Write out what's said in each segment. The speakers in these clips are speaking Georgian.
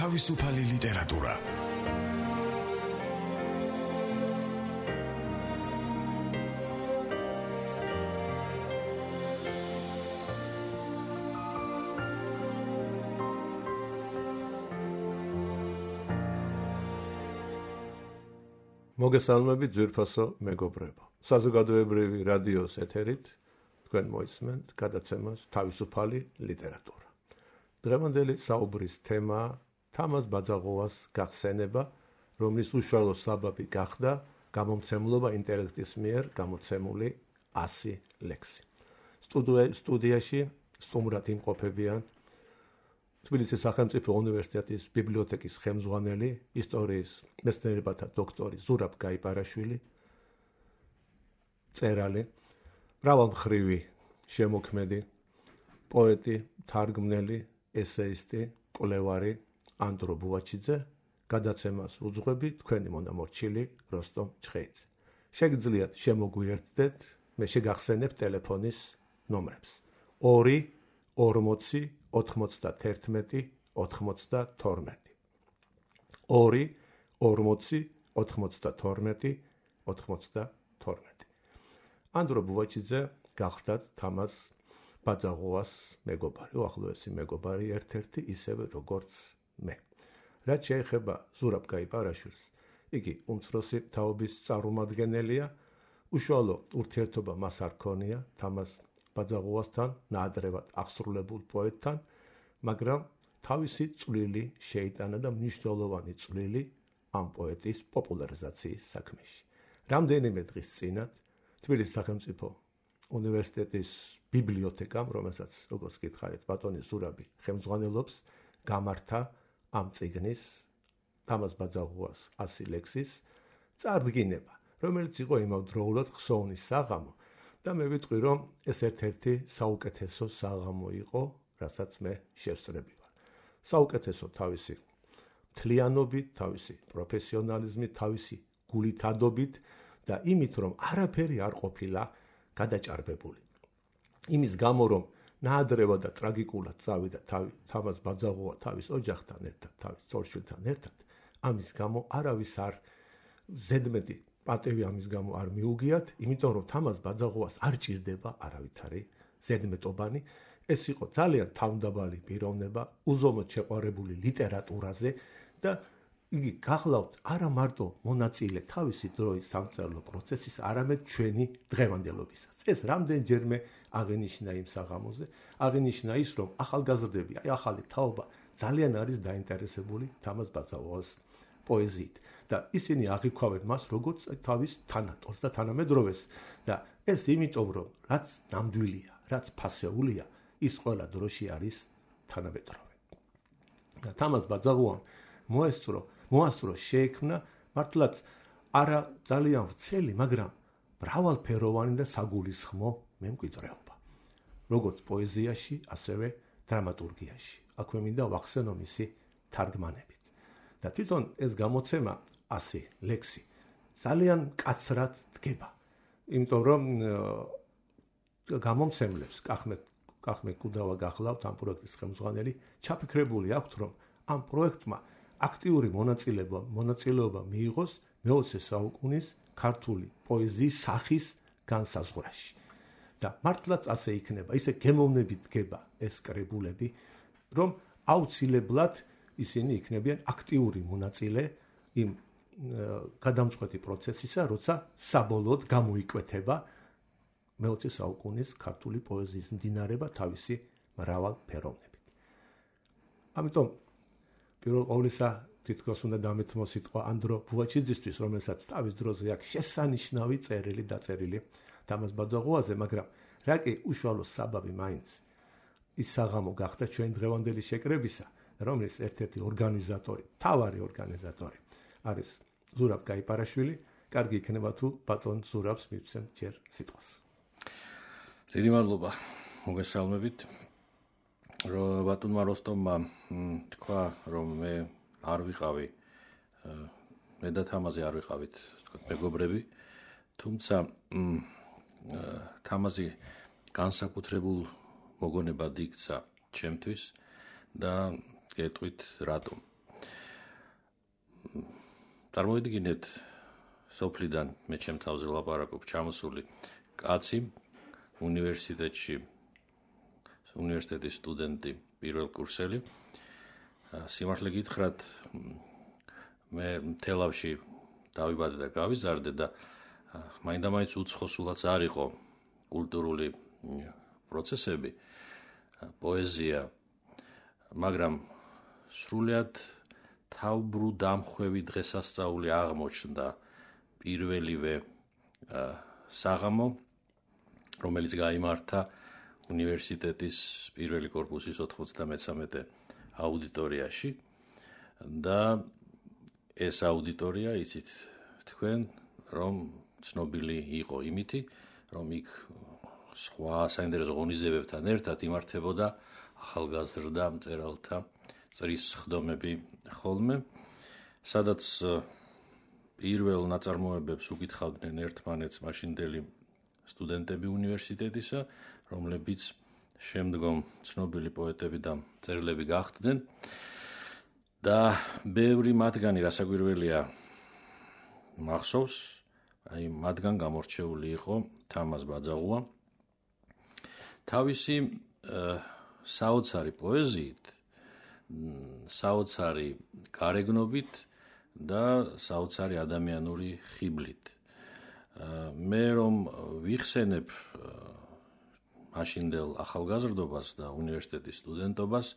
თავისუფალი ლიტერატურა. მოგესალმებით ძვირფასო მეგობრებო. საზოგადოებრივი რადიოს ეთერით თქვენ მოისმენთ გადაცემას თავისუფალი ლიტერატურა. დღევანდელი საუბრის თემაა თამაზ ბაძაღოვას გახსენება, რომლის უშუალო საბაბი გახდა გამომცემლობა ინტელექტის მიერ გამოცემული 100 ლექსი. სტუდიაში სტუმრად იმყოფებიან თბილისის სახელმწიფო უნივერსიტეტის ბიბლიოთეკის ხელმძღვანელი, ისტორიის მეცნიერებათა დოქტორი ზურაბ გაიპარაშვილი, მწერალი, მრავალმხრივი შემოქმედი, პოეტი, თარგმნელი, ესეისტი, კვლევარი ანდრო ბუაჩიძე, გადაცემას უძღვები თქვენი მონამორჩილი როსტომ ჩხეიძე. შეგიძლიათ შემოგვიერთდეთ, მე შეგახსენებ ტელეფონის ნომრებს 2 40 91 92 2 40 92 92. ანდრო ბუაჩიძე გახდათ თამაზ ბაძაღოვას მეგობარი, უახლოესი მეგობარი ერთ-ერთი, ისევე როგორც მე. რაც შეეხება ზურაბ გაიპარაშვილს, იგი უმცროსი თაობის წარმომადგენელია, უშუალო ურთიერთობა მას არ ჰქონია თამაზ ბაძაღოვასთან, ნაადრევად აღსრულებულ პოეტთან, მაგრამ თავისი წვლილი შეიტანა და მნიშვნელოვანი წვლილი ამ პოეტის პოპულარიზაციის საქმეში. რამდენიმე დღის წინათ თბილისის სახელმწიფო უნივერსიტეტის ბიბლიოთეკამ, რომელსაც როგორც გითხარით ბატონი ზურაბი ხელმძღვანელობს, გამართა ამ წიგნის თამაზ ბაძაღოვას 100 ლექსის წარდგინება, რომელიც იყო იმავდროულად ხსოვნის საღამო და მე ვიტყვი, რომ ეს ერთ-ერთი საუკეთესო საღამო იყო, რასაც მე შევსწრები ვარ. საუკეთესო თავისი მთლიანობით, თავისი პროფესიონალიზმით, თავისი გულითადობით და იმით, რომ არაფერი არ ყოფილა გადაჭარბებული. იმის გამო, რომ ნაადრევად და ტრაგიკულად წავიდა თამაზ ბაძაღოვა თავის ოჯახთან ერთად, თავის ცოლ-შვილთან ერთად, ამის გამო არავის არ ზედმეტი პატევი ამის გამო არ მიუგიათ, იმიტომ რომ თამაზ ბაძაღოვას არ ჭირდება არავითარი ზედმეტობანი. ეს იყო ძალიან თავმდაბალი პიროვნება, უზომოდ შეყვარებული ლიტერატურაზე და იგი გახლავთ არა მარტო მონაწილე თავისი დროის სამწერლო პროცესის, არამედ ჩვენი დღევანდელობისაც. ეს რამდენჯერმე აღინიშნა იმ საღამოზე, აღინიშნა ის, რომ ახალგაზრდები, ახალი თაობა ძალიან არის დაინტერესებული თამაზ ბაძაღოვას პოეზიით და ისინი აღიქვავენ მას როგორც თავის თანატორს და თანამედროვეს და ეს იმიტომ, რომ რაც ნამდვილია, რაც ფასეულია, ის ყველა დროში არის თანამედროვე. და თამაზ ბაძაღოვამ მოასწრო შეექმნა მართლაც არა ძალიან ვრცელი, მაგრამ მრავალფეროვანი და საგულისხმო მემკვიდრეობა, როგორც პოეზიაში, ასევე დრამატურგიაში. აქვე მინდა ვახსენო მისი თარგმანებით. და თვითონ ეს გამოცემა 100 ლექსი ძალიან მკაცრად დგება, იმიტომ რომ გამომცემლებს კახმე კუდავა გახლავთ ამ პროექტის ხელმძღვანელი, ჩაფიქრებული აქვთ, რომ ამ პროექტმა აქტიური მონაწილეობა მიიღოს მე-20 საუკუნის ქართული პოეზიის სახის განსაზღვრაში. და მართლაც ასე იქნება, ისე გემოვნებით დგება ეს კრებულები, რომ აუცილებლად ისინი იქნებიან აქტიური მონაწილე იმ გადამწყვეტი პროცესისა, როცა საბოლოოდ გამოიკვეთება მე-20 საუკუნის ქართული პოეზიის მდინარეობა თავისი მრავალფეროვნებით. ამიტომ პირველ ყოვლისა თითქოს უნდა დამეთმო სიტყვა ანდრო ბუაჩიძისთვის, რომელსაც თავის დროზე აქვს შესანიშნავი წერილი დაწერილი თამაზ ბაძაღოვაზე, მაგრამ რა კი უშუალო საბაბი მაინც ის საღამო გახდა ჩვენ დღევანდელი შეკრებისა, რომლის ერთ-ერთი ორგანიზატორი, მთავარი ორგანიზატორი არის ზურაბ გაიპარაშვილი. კარგი იქნება თუ ბატონ ზურაბს მივცემ ჯერ სიტყვას. დიდი მადლობა, მოგესალმებით. ბატონმა როსტომმა თქვა, რომ მე არ ვიყავი, მე და თამაზი არ ვიყავით, თქვა მეგობრები, თუმცა თამაზი განსაკუთრებულ მოგონებად იქცა ჩემთვის და გეტყვით რატომ. წარმოვიდგინეთ სოფლიდან მე ჩემ თავზე ვლაპარაკობ ჩამოსული კაცი უნივერსიტეტში უნივერსიტეტის სტუდენტი პირველ კურსელი სიმართლე გითხრათ მე თელავში დავიბადე და გავიზარდე და მაინდა-მაინც უცხოსულაც არ იყო კულტურული პროცესები პოეზია მაგრამ სრულიად თავბრუდამხვევი დღესასწაული აღმოჩნდა პირველივე საღამო რომელიც გაიმართა უნივერსიტეტის პირველი კორპუსის 93 აუდიტორიაში და ეს აუდიტორია იცით თქვენ რომ ცნობილი იყო იმითი რომ იქ სხვა საინტერესო ღონისძიებებთან ერთად იმართებოდა ახალგაზრდა მწერალთა წრის სხდომები ხოლმე სადაც პირველ ნაწარმოებებს უკითხავდნენ ერთმანეთს მაშინდელი სტუდენტები უნივერსიტეტისა რომლებიც შემდგომ ცნობილი პოეტები და მწერლები გახდნენ და ბევრი მათგანი რასაკვირველია მახსოვს აი მათგან გამორჩეული იყო თამაზ ბაძაღუა თავისი საოცარი პოეზიით საოცარი გარეგნობით და საოცარი ადამიანური ხიბლით მე რომ ვიხსენებ მაშინდელ ახალგაზრდობას და უნივერსიტეტის სტუდენტობას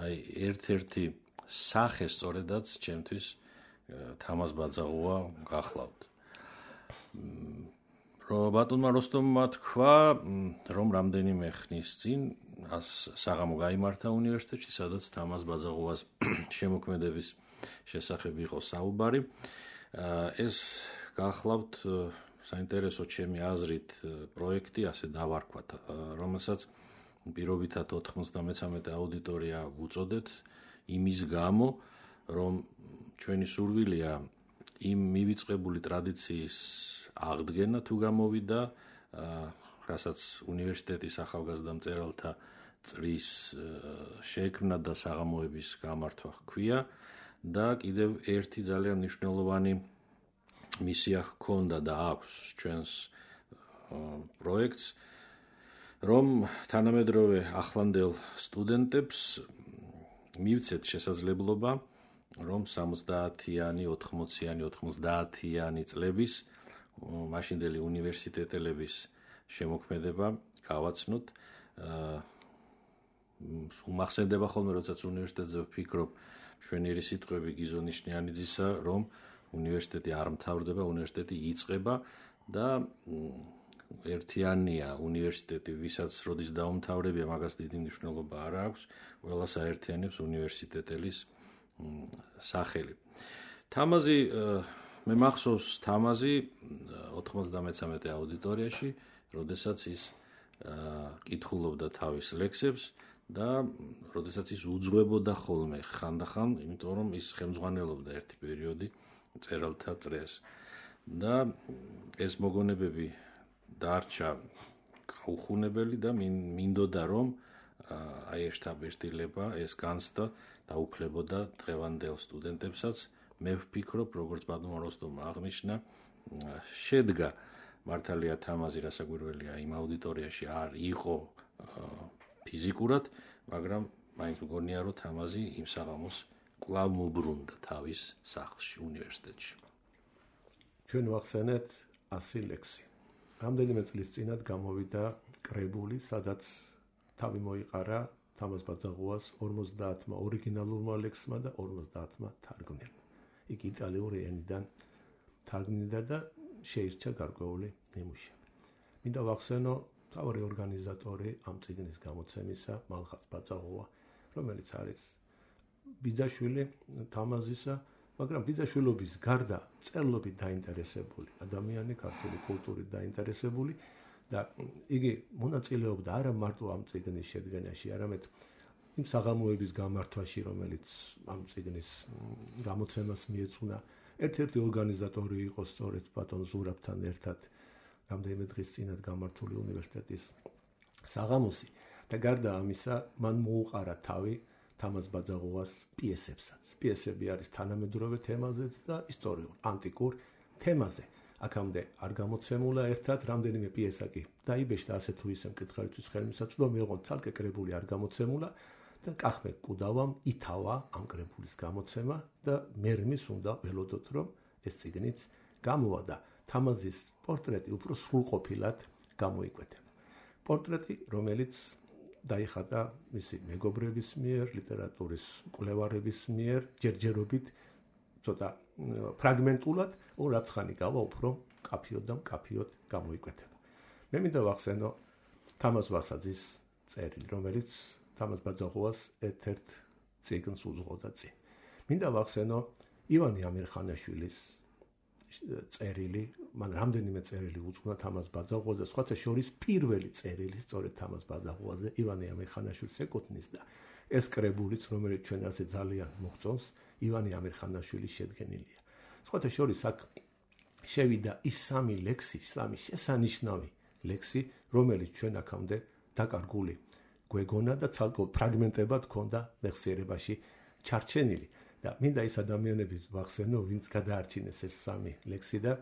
აი ერთ-ერთი სახე სწორედაც ჩემთვის თამაზ ბაძაღუა გახლავთ ბატონმა როსტომმა თქვა რომ რამდენიმე ხნის წინ საღამო გაიმართა უნივერსიტეტში სადაც თამაზ ბაძაღუას შემოქმედების შესახებ იყო საუბარი ეს გახლავთ საინტერესო ჩემი აზრით პროექტი ასე დავარქვათ რომელსაც პირობითად 93 აუდიტორია ვუწოდეთ იმის გამო რომ ჩვენი სურვილია იმ მივიწყებული ტრადიციის აღდგენა თუ გამოვიდა რასაც უნივერსიტეტის ახალგაზრდა მწერალთა წრის შექმნა და საღამოების გამართვა ჰქვია და კიდევ ერთი ძალიან მნიშვნელოვანი მისია ჰქონდა და აქვს ჩვენს პროექტს რომ თანამედროვე ახლანდელ სტუდენტებს მივცეთ შესაძლებლობა რომ 70-იანი, 80-იანი, 90-იანი წლების მაშინდელი უნივერსიტეტელების შემოქმედება გავაცნოთ უმახსენდება ხოლმე როდესაც უნივერსიტეტზე ვფიქრობ მშვენიერი სიტყვები გიზო ნიშნიანიძისა რომ უნივერსიტეტი არ მთავრდება უნივერსიტეტი იწყება და ერთიანია უნივერსიტეტი ვისაც როდის დაუმთავრებია მაგას დიდი მნიშვნელობა არ აქვს ყველას აერთიანებს უნივერსიტეტელის სახელი თამაზი მე მახსოვს თამაზი 93 აუდიტორიაში როდესაც ის კითხულობდა თავის ლექსებს და როდესაც ის უძღვებოდა ხოლმე ხანდახან იმიტომ რომ ის ხელმძღვანელობდა ერთი პერიოდი მწერალთა წრეს და ეს მოგონებები დარჩა გაუხუნებელი და მინდოდა რომ აი ეს შთაბეჭდილება ეს განცდა დაუფლებოდა დღევანდელ სტუდენტებსაც მე ვფიქრობ როგორც ბატონმა როსტომმა აღნიშნა შედგა მართალია თამაზი რასაკვირველია იმ აუდიტორიაში არ იყო ფიზიკურად მაგრამ მაინც მგონია რომ თამაზი იმ საღამოს კვლავ მობრუნდა თავის სახლში უნივერსიტეტში ჩვენ ვახსენეთ 100 ლექსი რამდენიმე წლის წინათ გამოვიდა კრებული სადაც თავი მოიყარა თამაზ ბაძაღუას 50-მა ორიგინალურმა ლექსმა და 50-მა თარგმნილმა იქ იტალიური ენიდან თარგმნიდა და შეირჩა გარკვეული ნიმუშები მინდა ვახსენო თავი ორგანიზატორი ამ წიგნის გამოცემისა მალხაზ ბაძაღუა რომელიც არის ბიძაშვილი თამაზისა მაგრამ ბიძაშვილობის გარდა წერლობით დაინტერესებული ადამიანი ქართული კულტურით დაინტერესებული და იგი მონაწილეობდა არა მარტო ამ წიგნის შედგენაში არამედ იმ საღამოების გამართვაში რომელიც ამ წიგნის გამოცემას მიეწუნა ერთ-ერთი ორგანიზატორი იყო სწორედ ბატონ ზურაბთან ერთად რამდენიმე დღის წინათ გამართული უნივერსიტეტის საღამოსი და გარდა ამისა მან მოუყარა თავი თამაზ ბაძაღუას პიესებსაც. პიესები არის თანამედროვე თემაზეც და ისტორიულ, ანტიკურ თემაზე. აქამდე არ გამოცემულა ერთად რამდენიმე პიესა კი დაიბეჭდა ასე თუ ისე მკითხველისთვის ხელმისაწვდომი იყო ცალკე კრებული არ გამოცემულა და კახმე კუდავამ ითავა ამ კრებულის გამოცემა და მერმის უნდა ველოდოთ რომ ეს წიგნიც გამოვა და თამაზის პორტრეტი უფრო სრულყოფილად გამოიკვეთა. პორტრეტი რომელიც დაიხატა მისი მეგობრების მიერ, ლიტერატურის მკვლევარების მიერ, ჯერჯერობით ცოტა ფრაგმენტულად, რაც ხანი გავა უფრო კაფიოდ და მკაფიოდ გამოიკვეთება. მე მინდა ვახსენო თამაზ ვასაძის წერილი, რომელიც თამაზ ბაძაღუას ერთ-ერთ წიგნს უძღოდა წინ. მინდა ვახსენო ივანე ამირხანაშვილის წერილი, მან რამდენიმე წერილი უძღვნა თამაზ ბაძაღუაზე, სხვათა შორის პირველი წერილი სწორედ თამაზ ბაძაღუაზე ივანე ამირხანაშვილს ეკუთვნის და ეს კრებულიც, რომელიც ჩვენ ასე ძალიან მოგწონს, ივანე ამირხანაშვილის შედგენილია. სხვათა შორის აქ შევიდა ის სამი ლექსი, სამი შესანიშნავი ლექსი, რომელიც ჩვენ აქამდე დაკარგული გვეგონა და ცალკეულ ფრაგმენტებად ჰქონდა მეხსიერებაში ჩარჩენილი. და მინდა ის ადამიანები ვახსენო, ვინც გადაარჩინეს ეს სამი ლექსი და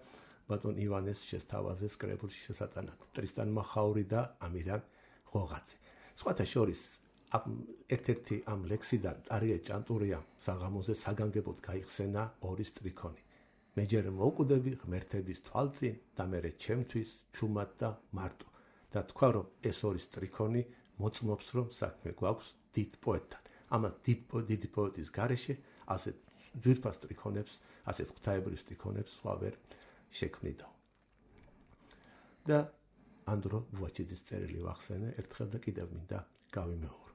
ბატონ ივანეს შესთავაზეს კრებულში შესატანად. ტრისტან მახაური და ამირან ღოღაძე. სხვათა შორის ერთ-ერთი ამ ლექსიდან ტარია ჭანტურიამ საღამოზე საგანგებოდ გაიხსენა ორი სტრიქონი. მე ჯერ მოვკვდები ღმერთების თვალწინ და მერე ჩემთვის ჩუმად და მარტო. და თქვა რომ ეს ორი სტრიქონი მოწმობს რომ საქმე გვაქვს დიდ პოეტთან. ამას დიდი პოეტის გარეშე ასეთ ძვირფას სტრიქონებს, ასეთ ღვთაებრივ სტრიქონებს სხვა ვერ შექმნიდა. და ანდრო ბუაჩიძის წერილი ვახსენე ერთხელ და კიდევ მინდა გავიმეორო.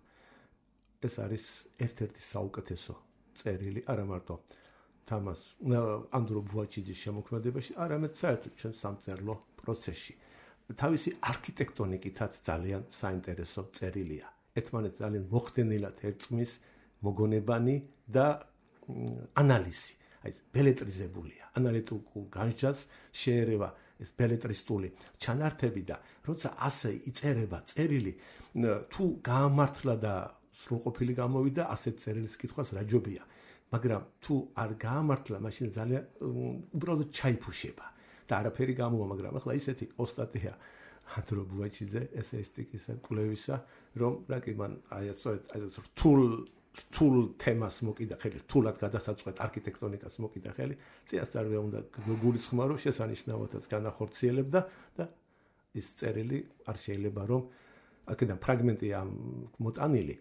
ეს არის ერთ-ერთი საუკეთესო წერილი, არა მარტო თამაზ ანდრო ბუაჩიძის შემოქმედებაში, არამედ საერთოდ ჩვენ სამწერლო პროცესში. თავისი არქიტექტონიკითაც ძალიან საინტერესო წერილია. ერთმანეთს ძალიან მოხდენილად ერწყმის მოგონებანი და ანალიზი. აი ეს ბელეტრიზებულია. ანალიტიკურ განჯას შეერევა ეს ბელეტრისტული ჩანართები და როცა ასე იწერება წერილი, თუ გაამართლა და სრულყოფილი გამოვიდა, ასეთ წერილის კითხვას რა ჯობია. მაგრამ თუ არ გაამართლა, მაშინ ძალიან უბრალოდ ჩაიფუშება და არაფერი გამოვა, მაგრამ ახლა ისეთი ოსტატია ანდრო ბუაჩიძე ესეისტიკისა, კვლევისა, რომ რა კი მან აი ეს რთულ თემას მოკიდა ხელი, რთულად გადასაწყვეტ არქიტექტონიკას მოკიდა ხელი, წინასწარ უნდა გულისხმარო, შესანიშნავადაც განახორციელებდა და ის წერილი არ შეიძლება რომ აქედან ფრაგმენტია მოტანილი,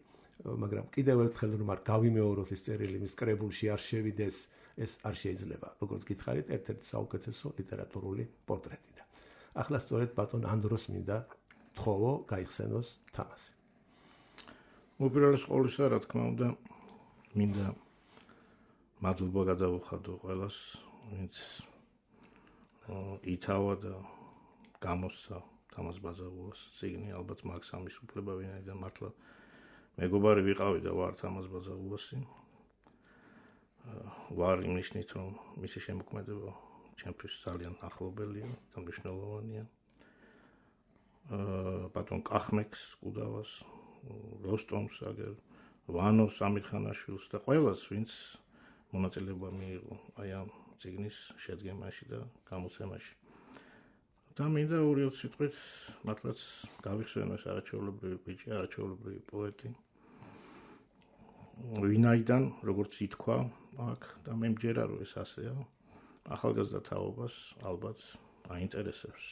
მაგრამ კიდევ ერთხელ რომ არ გავიმეოროთ ეს წერილი მის კრებულში არ შევიდეს, ეს არ შეიძლება. როგორც გითხარით, ერთ-ერთი საუკეთესო ლიტერატურული პორტრეტი და ახლა სწორედ ბატონ ანდროს მინდა თხოვო გაიხსენოს თამასი. უპირველეს ყოვლისა, რა თქმა უნდა, მინდა მადლობა გადავუხადო ყველას, ვინც ითავა და გამოსცა თამაზ ბაძაღუას წიგნი, ალბათ მაქვს ამის უფლება, ვინაიდან მართლა მეგობარი ვიყავი და ვარ თამაზ ბაძაღუასი. ვარ იმნიშნით, რომ მისი შემოქმედება ჩემთვის ძალიან ახლობელია და მნიშვნელოვანია. ბატონ კახმექს კუდავას, როსტომს, აგერ ვანოს ამირხანაშვილს და ყველას, ვინც მონაწილეობა მიიღო აი ამ წიგნის შედგენაში და გამოცემაში. და მინდა 2 სიტყვით მართლაც გავიხსენო ეს არაჩვეულებრივი ბიჭი, არაჩვეულებრივი პოეტი. ვინაიდან, როგორც ითქვა აქ და მე მჯერა რომ ეს ასეა, ახალგაზრდა თაობას ალბათ აინტერესებს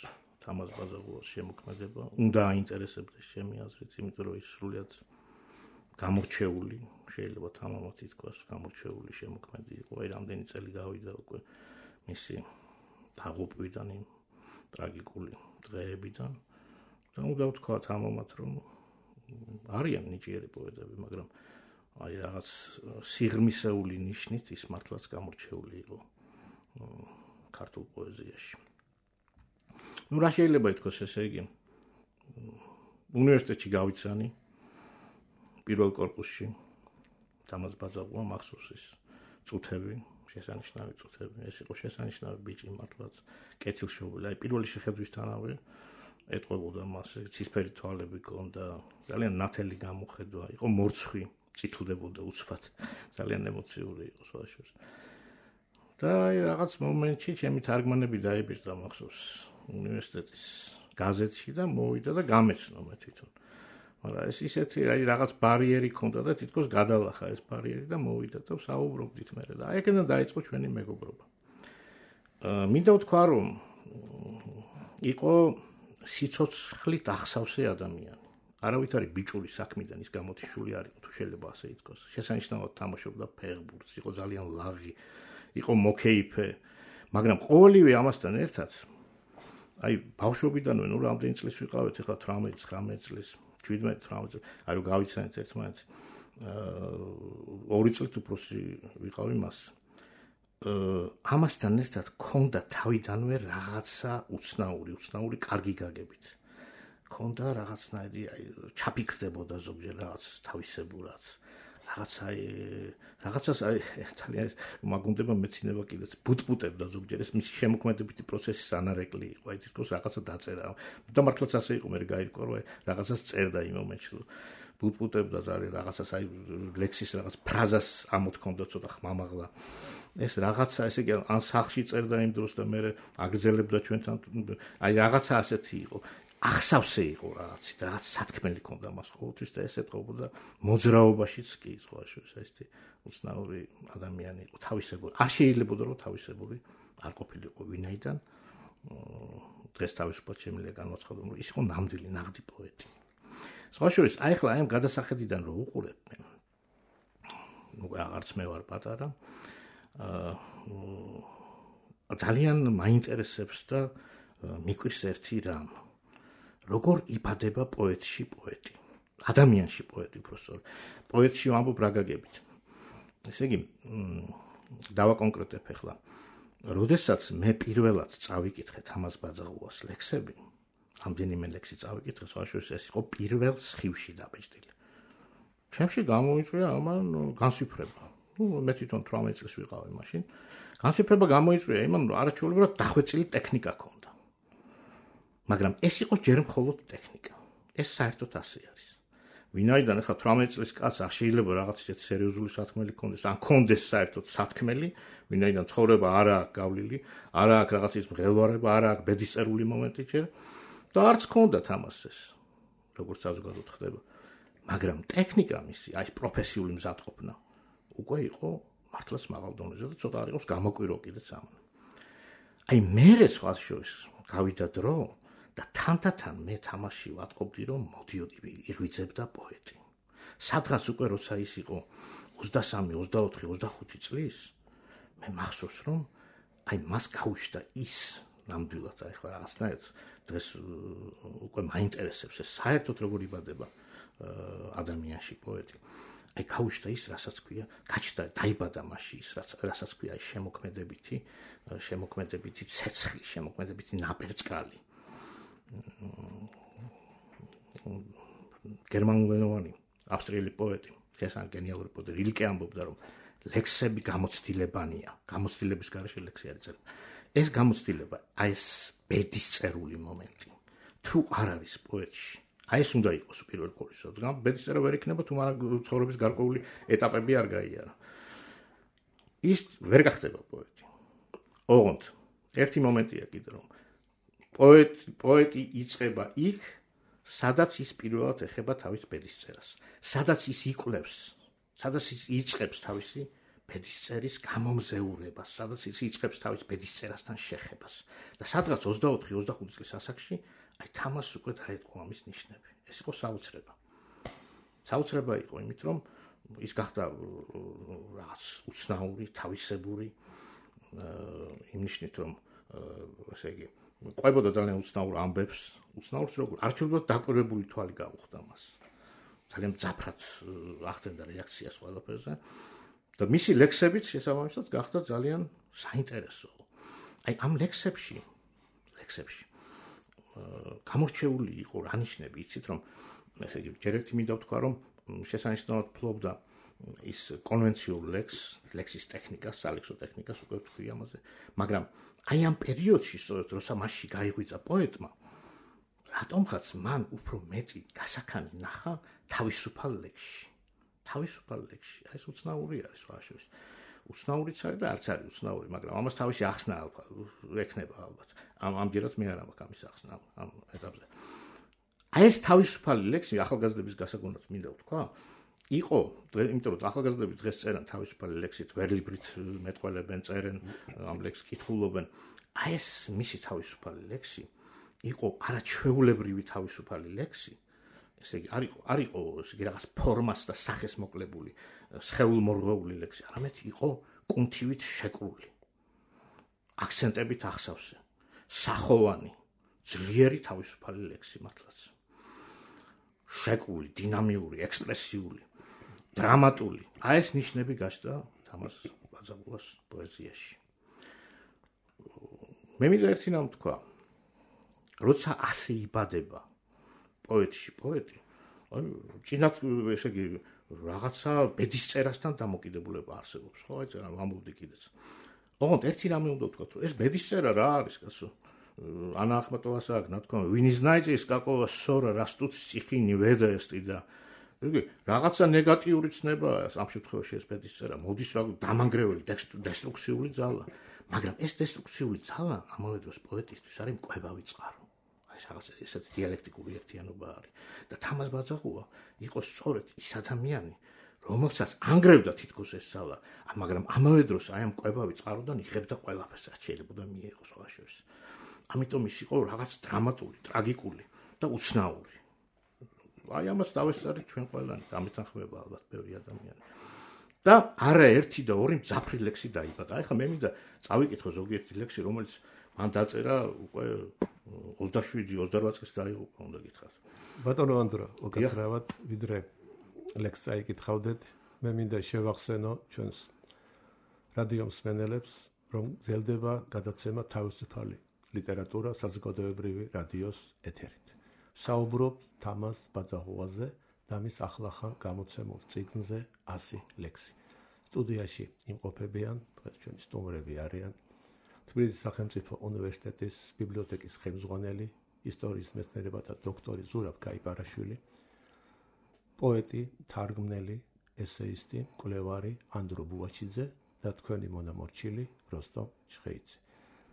თამაზ ბაძაღუას შემოქმედება, უნდა აინტერესებდეს ჩემი აზრით, იმიტომ რომ ის სრულიად გამორჩეული, შეიძლება თამამად ითქვას, გამორჩეული შემოქმედი იყო. აი რამდენი წელი გავიდა უკვე მისი დაღუპვიდან, იმ ტრაგიკული დღეებიდან და უნდა ვთქვა თამამად, რომ არიან ნიჭიერი პოეტები, მაგრამ აი რაღაც სიღრმისეული ნიშნით ის მართლაც გამორჩეული იყო ქართულ პოეზიაში. ნუ რა შეიძლება ითქვას, ესე იგი უნივერსიტეტში გავიცანი პირველ კორპუსში თამაზ ბაძაღუა მახსოვს ის წუთები, შესანიშნავი წუთები, ეს იყო შესანიშნავი ბიჭი მართლაც კეთილშობილი. აი პირველი შეხედვისთანავე ეტყობოდა მას, ცისფერი თვალები ჰქონდა, ძალიან ნათელი გამოხედვა, იყო მორცხვი წითლდებოდა უცბად, ძალიან ემოციური იყო სხვაშორის. და აი რაღაც მომენტში ჩემი თარგმანები დაიბირდა მახსოვს უნივერსიტეტის გაზეთში და მოვიდა და გამეცნო მე თვითონ. მაგრამ ეს ისეთი აი რაღაც ბარიერი ქონდა და თითქოს გადალახა ეს ბარიერი და მოვიდა და საუბრობდით მე და აი ეგენა დაიწყო ჩვენი მეგობრობა. მინდა ვთქვა რომ იყო სიცოცხლით ახსავსე ადამიანი. არავითარი ბიჭური საქმიდან ის გამოთიშული არ იყო, თუ შეიძლება ასე ითქვას. შესანიშნავად თამაშობდა ფეხბურთს, იყო ძალიან ლაღი, იყო მოკეიფე, მაგრამ ყოველივე ამასთან ერთად აი ბავშვობიდანვე ნუ რამდენი წლის ვიყავით, ეხლა 18, 19 წლის, 17, 18 წლის, აი რომ გავიცანეთ ერთმანეთს. 2 წლით უფროსი ვიყავი მას. ამასთან ერთად ქონდა თავიდანვე რაღაცა უცნაური კარგი გაგებით. ქონდა რაღაცნაირი აი ჩაფიქრდებოდა ზოგჯერ რაღაც თავისებურად. რაღაცას აი ძალიან მაგუნდება მეცინება კიდეც ბუტბუტებდა ზოგჯერ ეს მისი შემოქმედებითი პროცესის ანარეკლი იყო. აი თითქოს რაღაცა დაწერა. და მართლაც ასე იყო, მე გაირკვა რომ აი რაღაცას წერდა იმ მომენტში. ბუტბუტებდა ძალიან რაღაცას აი ლექსის რაღაც ფრაზას ამოთქონდა ცოტა ხმამაღლა. ეს რაღაცა ესე იგი ან სახში წერდა იმ დროს და მე აგრძელებდა ჩვენთან აი რაღაცა ასეთი იყო. ახსავსე იყო რაღაცით, რაღაც სათქმელი ქონდა მას ყოველთვის და ეს ეთყობოდა მოძრაობაშიც კი სხვაშორის ესეთი უცნაური ადამიანი იყო, თავისებური. არ შეიძლებოდა რომ თავისებური არ ყოფილიყო ვინაიდან დღეს თავისუფლად შემიძლია განვაცხადო, რომ ის იყო ნამდვილი ნაღდი პოეტი. სხვაშორის აი ხლა ამ გადასახედიდან რო უყურებ მე ნუ აღარც მე ვარ პატარა ძალიან მაინტერესებს და მიკვირს ერთი რამ როგორ იბადება პოეტში პოეტი ადამიანში პოეტი უბრალოდ პოეტში ვამბობ რა გაგებით ესე იგი დავაკონკრეტებ ახლა როდესაც მე პირველად წავიკითხე თამაზ ბაძაღუას ლექსები ამდენიმე ლექსი წავიკითხე სხვაშორის ეს იყო პირველ სხივში დაბეჭდილი ჩემში გამოიწვია ამან განსიფრება მე თვითონ 18 წლის ვიყავი მაშინ განსიფრება გამოიწვია იმან რომ არაჩვეულებრივად დახვეწილი ტექნიკა ქონდა მაგრამ ეს იყო ჯერ მხოლოდ ტექნიკა ეს საერთოდ ასე არის ვინაიდან ახლა 18 წლის კაცს არ შეიძლება რაღაც ისეთ სერიოზული სათქმელი ქონდეს ან ქონდეს საერთოდ სათქმელი ვინაიდან ცხოვრება არა აქვს გავლილი არა აქვს რაღაც ის მღელვარება არა აქვს ბედისწერული მომენტი ჯერ და არც ქონდათ ამას ეს როგორც საზოგადოებრივ ხდება მაგრამ ტექნიკა მისი აი პროფესიული მზადყოფნა უკვე იყო მართლაც მაღალ დონეზე და ცოტა არ იყოს გამოკვირო კიდეც ამან აი მე სხვას შორის გავიდა დრო და თანდათან მე თამაში ვატყობდი რომ მოდიოდი იღვიძებდა პოეტი სადღაც უკვე როცა ის იყო 23 24 25 წლის მე მახსოვს რომ აი მას გაუჩნდა ის ნამდვილად აი ხლა რაღაცნაირად დღეს უკვე მაინტერესებს ეს საერთოდ როგორ იბადება ადამიანში პოეტი აი გაუჩნდა ის რასაც ქვია გაჩნდა დაიბადა მასში ის რასაც ქვია შემოქმედებითი ცეცხლი შემოქმედებითი ნაპერწკალი გერმანულენოვანი ავსტრიელი პოეტი ესაა გენიალური პოეტი ილკე ამბობდა რომ ლექსები გამოცდილებანია გამოცდილების გარეშე ლექსი არის წერილი ეს გამოცდილება აი ეს ბედისწერული მომენტი თუ არ არის პოეტში აი ეს უნდა იყოს პირველ ყოვლისა რადგან ბედისწერა ვერ იქნება თუ მაგრამ ცხოვრების გარკვეული ეტაპები არ გაიარა ის ვერ გახდება პოეტი ოღონდ ერთი მომენტია კიდე რომ პოეტი იწყება იქ სადაც ის პირველად ეხება თავის ბედისწერას სადაც ის იკვლევს სადაც ის იწყებს თავისი ბედისწერის გამომზეურებას სადაც ის იწყებს თავის ბედისწერასთან შეხებას და სადღაც 24-25 წლის ასაკში აი თამას უკვე დაიწყო ამის ნიშნები ეს იყო საოცრება იყო იმით რომ ის გახდა რაღაც უცნაური თავისებური იმ ნიშნით რომ ესე იგი ყვებოდა ძალიან უცნაურ ამბებს უცნაურს როგორ არჩეულად დაკვირვებული თვალი გაუხდა მას ძალიან მძაფრად ახდენდა რეაქციას ყველაფერზე და მისი ლექსებიც შესაბამისად გახდა ძალიან საინტერესო აი ამ ლექსებში გამორჩეული იყო რა ნიშნები იცით რომ ესე იგი ჯერ ერთი მინდა ვთქვა რომ შესანიშნავად ფლობდა ის კონვენციურ ლექსის ტექნიკას სალექსო ტექნიკას უკვე ვთქვი ამაზე მაგრამ აი ამ პერიოდში სწორედ როცა მასში გაიღვიძა პოეტმა რატომღაც მან უფრო მეტი გასაქანი ნახა თავისუფალ ლექსში თავისუფალი ლექსი. აი ეს უცნაური არის სხვა შორის. უცნაურიც არის და არც არის უცნაური, მაგრამ ამას თავისი ახსნა ექნება ალბათ. ამჯერად მე არ მაქვს ამის ახსნა ამ ეტაპზე. აი ეს თავისუფალი ლექსი ახალგაზრდების გასაგონად მინდა ვთქვა, იყო, იმიტომ რომ ახალგაზრდები დღეს წერენ თავისუფალი ლექსით, ვერლიბრით მეტყველებენ, წერენ, ამ ლექსს კითხულობენ. აი ეს მისი თავისუფალი ლექსი იყო არაჩვეულებრივი თავისუფალი ლექსი. ესე იგი არ იყო ესე იგი რაღაც ფორმას და სახეს მოკლებული, სხეულმორღეული ლექსი, არამედ იყო კუნთივით შეკრული. აქცენტებით ახსავსე, სახოვანი, ძლიერი თავისუფალი ლექსი მართლაც. შეკრული, დინამიური, ექსპრესიული, დრამატული. აი ეს ნიშნები გაჩნდა თამაზ ბაძაღულას პოეზიაში. მე მინდა ერთი რამ ვთქვა. როცა ასე იბადება პოეტი, აი წინათ ესე იგი რაღაცა ბედისწერასთან დამოკიდებულება არსებობს, ხო? აი წერა ამბობდი კიდეც. ოღონდ ერთი რამე უნდა ვთქვა, რომ ეს ბედისწერა რა არის, კაცო? ანა ახმეტოვას აქვს, ნათქვამი, ვინ знает, какого ссора растут стихи не ведаести და იგი რაღაცა ნეგატიური ცნებაა ამ შემთხვევაში ეს ბედისწერა, მოდის რა დამანგრეველი დესტრუქციული ძალა, მაგრამ ეს დესტრუქციული ძალა ამავე დროს პოეტისთვის არის მკვებავი წყარო. ეს რაღაც ესეთი დიალექტიკური ერთიანობა არის და თამაზ ბაძაღულა იყო სწორედ ის ადამიანი, რომელსაც ანგრევდა თითქოს ეს ძალა, მაგრამ ამავე დროს აი ამ მკვებავი წყაროდან იღებდა ყველაფერს, რაც შეიძლება მიიღოს სხვა შორის. ამიტომ ის იყო რაღაც დრამატული, ტრაგიკული და უცნაური. აი ამას დავესწარით ჩვენ ყველანი, დამეთანხმება ალბათ ბევრი ადამიანი. და არა ერთი და ორი მძაფრი ლექსი დაიბადა. აი ხა მე მინდა წავიკითხო ზოგიერთი ლექსი, რომელიც მან დაწერა უკვე 27-28 წლის დაიღუპა, უნდა გითხრათ. ბატონო ანდრო, უკაცრავად ვიდრე ლექსს წაიკითხავდეთ, მე მინდა შევახსენო ჩვენს რადიო მსმენელებს, რომ გრძელდება გადაცემა თავისუფალი ლიტერატურა საზოგადოებრივი რადიოს ეთერით. საუბრობთ თამაზ ბაძაღულაზე და მის ახლახან გამოცემულ წიგნზე 100 ლექსი. სტუდიაში იმყოფებიან დღეს ჩვენი სტუმრები არიან თბილისის სახელმწიფო უნივერსიტეტის ბიბლიოთეკის ხელმძღვანელი, ისტორიის მეცნიერებათა დოქტორი ზურაბ გაიპარაშვილი, პოეტი, თარგმნელი, ესეისტი, მკვლევარი ანდრო ბუაჩიძე და თქვენი მონამორჩილი როსტომ ჩხეიძე.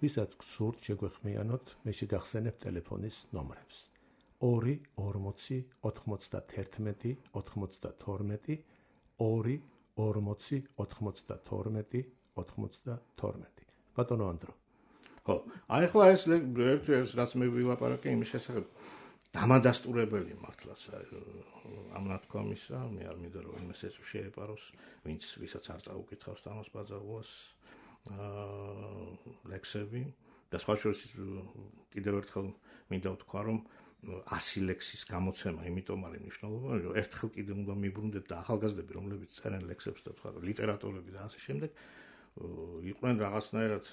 ვისაც გსურთ შეგვეხმიანოთ, მე შეგახსენებ ტელეფონის ნომრებს. 2 40 91 92 2 40 92 92. ბატონო ანდრო. ხო, აი ახლა ეს რაც მე ვილაპარაკე იმის შესახებ, დამადასტურებელი მართლაც ამ ნათქვამისა, მე არ მინდა რომ იმას ეს შეეპაროს, ვისაც არ წაუკითხავს თამაზ ბაძაღულას ლექსები და სხვა შორის კიდევ ერთხელ მინდა ვთქვა, რომ 100 ლექსის გამოცემა, იმიტომ არის მნიშვნელოვანი, რომ ერთხელ კიდევ უნდა მიბრუნდეთ და ახალგაზრდები, რომლებიც წერენ ლექსებს და თქვა ლიტერატორები და ასე შემდეგ, იყვნენ რაღაცნაირად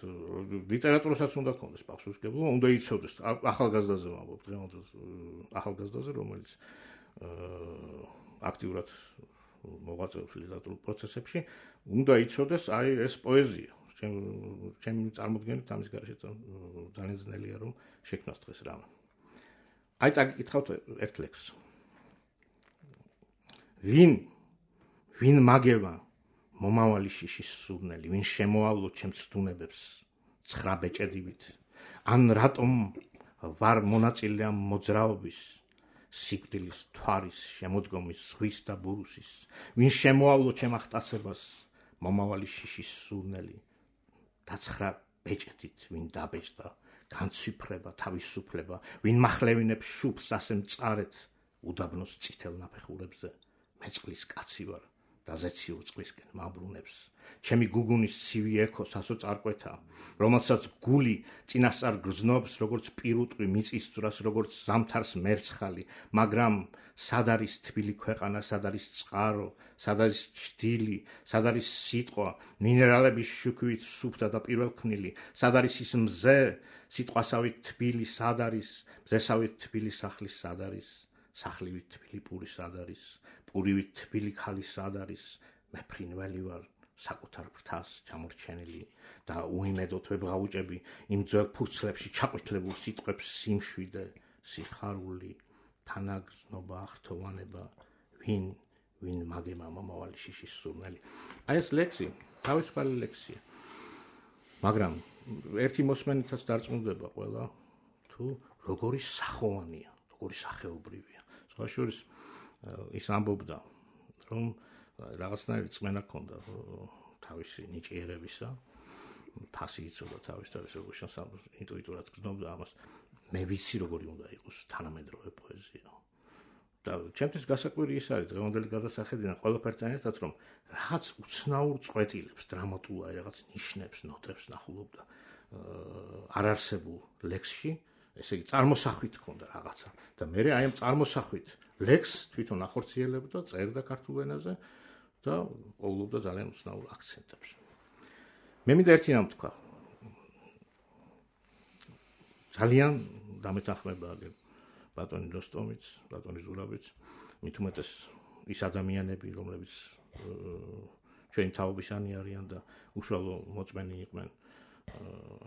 ლიტერატურასაც უნდა ქონდეს პასუხისმგებლობა, უნდა იცოდეს ახალგაზრდაზე ვამბობ, დღევანდელ ახალგაზრდაზე, რომელიც აქტიურად მოღვაწეობს ლიტერატურულ პროცესებში, უნდა იცოდეს აი ეს პოეზია. ჩემი წარმოდგენით ამის გარშე ძალიან ძნელია რომ შექმნას დღეს რამე. აი წაგიკითხავთ ერთ ლექსს. ვინ მაგევა მომავალი შიშის სურნელი, ვინ შემოავლო ჩემს ცდუნებებს ცხრა ბეჭედივით, ან რატომ ვარ მონაწილე ამ მოძრაობის, სიკვდილის, თვარის, შემოდგომის, ზღვის და ბურუსის, ვინ შემოავლო ჩემ ახტაცებას მომავალი შიშის სურნელი, დაცხრა ბეჭედით, ვინ დაბეჭდა, განცვიფრება, თავისუფლება, ვინ მახლევინებს შუბს ასე მწარეთ, უდაბნოს წითელ ნაფეხურებზე, მე წყლის კაცი ვარ. და ზეციურ წყლისკენ მაბრუნებს. ჩემი გუგუნის ცივი ექო სასოწარკვეთა, რომელსაც გული წინასწარ გრძნობს, როგორც პირუტყვი მიწის ძვრას, როგორც ზამთარს მერცხალი, მაგრამ სად არის თბილი ქვეყანა, სად არის წყარო, სად არის ჭდილი, სად არის სიტყვა, მინერალების შუქვით სუფთა და პირველქმნილი, სად არის ის მზე, სიტყვასავით თბილი, სად არის, მზესავით თბილი სახლის სად არის, სახლივით თბილი პური სად არის, პურივით თბილი ქალი სად არის, მე ფრინველი ვარ, საკუთარ ფრთას ჩამორჩენილი და უიმედოდ ვებღაუჭები იმ ძველ ფურცლებში ჩაყვითლებულ სიტყვებს სიმშვიდე, სიხარული, თანაგრძნობა, ახთოვანება, ვინ ვინ მაგემა მომავალი შიშის სურნელი. აი ეს ლექსი, თავისუფალი ლექსია. მაგრამ ერთი მოსმენითაც დარწმუნდება ყველა თუ როგორი სახოვანია, როგორი სახეობრივია. სხვა შორის ის ამბობდა, რომ რაღაცნაირი წმენა ჰქონდა თავისი ნიჭიერებისა, ფასი იცოდა თავის როგორ ინტუიტურად გრძნობდა ამას. მე ვიცი როგორი უნდა იყოს თანამედროვე პოეზია. და ჩემთვის გასაკვირი ის არის დღევანდელი გადასახედიდან ყველაფერთან ერთად, რომ რაღაც უცნაურ წვეტილებს, დრამატულ რაღაც ნიშნებს, ნოტებს ნახულობდა არარსებულ ლექსში, ესე იგი წარმოსახვით ჰქონდა რაღაცა და მე აი ამ წარმოსახვით ლექსს თვითონ ახორციელებდა, წერდა ქართულ ენაზე და პოულობდა ძალიან უცნაურ აქცენტებს. მე მინდა ერთი რამ თქვა. ძალიან დამეთანხმება ბატონი როსტომიც, ბატონი ზურაბიც, მით უმეტეს ის ადამიანები, რომლებიც ჩვენი თაობისანი არიან და უშუალო მოწმენი იყვნენ